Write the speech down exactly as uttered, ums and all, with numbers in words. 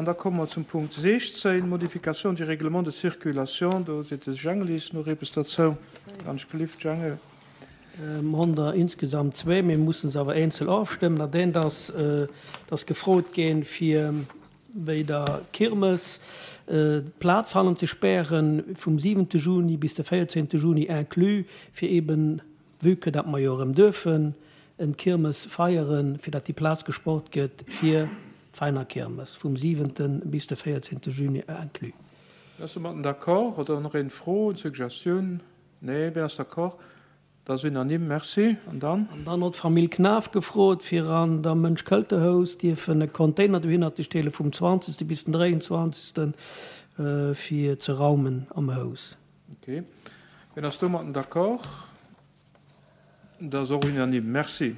An da komme mer zum Punkt siechzéng, Modification du règlement de circulation. Do seet de Jengel nach eppes dozou. Ganz gelift, Jengel. Mer hunn der insgesamt zwee, mir mussen se awer eenzel ofstëmmen. Dat eent ass, dass gefrot ginn, fir bei der Kirmes d'Plaz hannen ze spären, vum siwente Juni bis de véierzéngte Juni inclus, fir eben, vue que dat mer jo erëm duerfen en Kirmes feieren, fir dat déi Plaz gesport gëtt fir d'Veiner Kirmes vum siwente bis de véierzéngte Juni inclus. Wien ass domatten d'accord? Oder nach een Fro, Suggestioun? Nee, wien ass d'accord? Dat ass unanime, merci. An dann? An dann huet d'Famill Knaff gefrot, fir an der Mënsch-Këlte-Hous dierfen e Container dohinner ze stelle vum zwanzegste bis den dräianzwanzegsten fir ze raumen am Haus. Okay. Wien ass domatten d'accord? Dat ass och unanime, merci.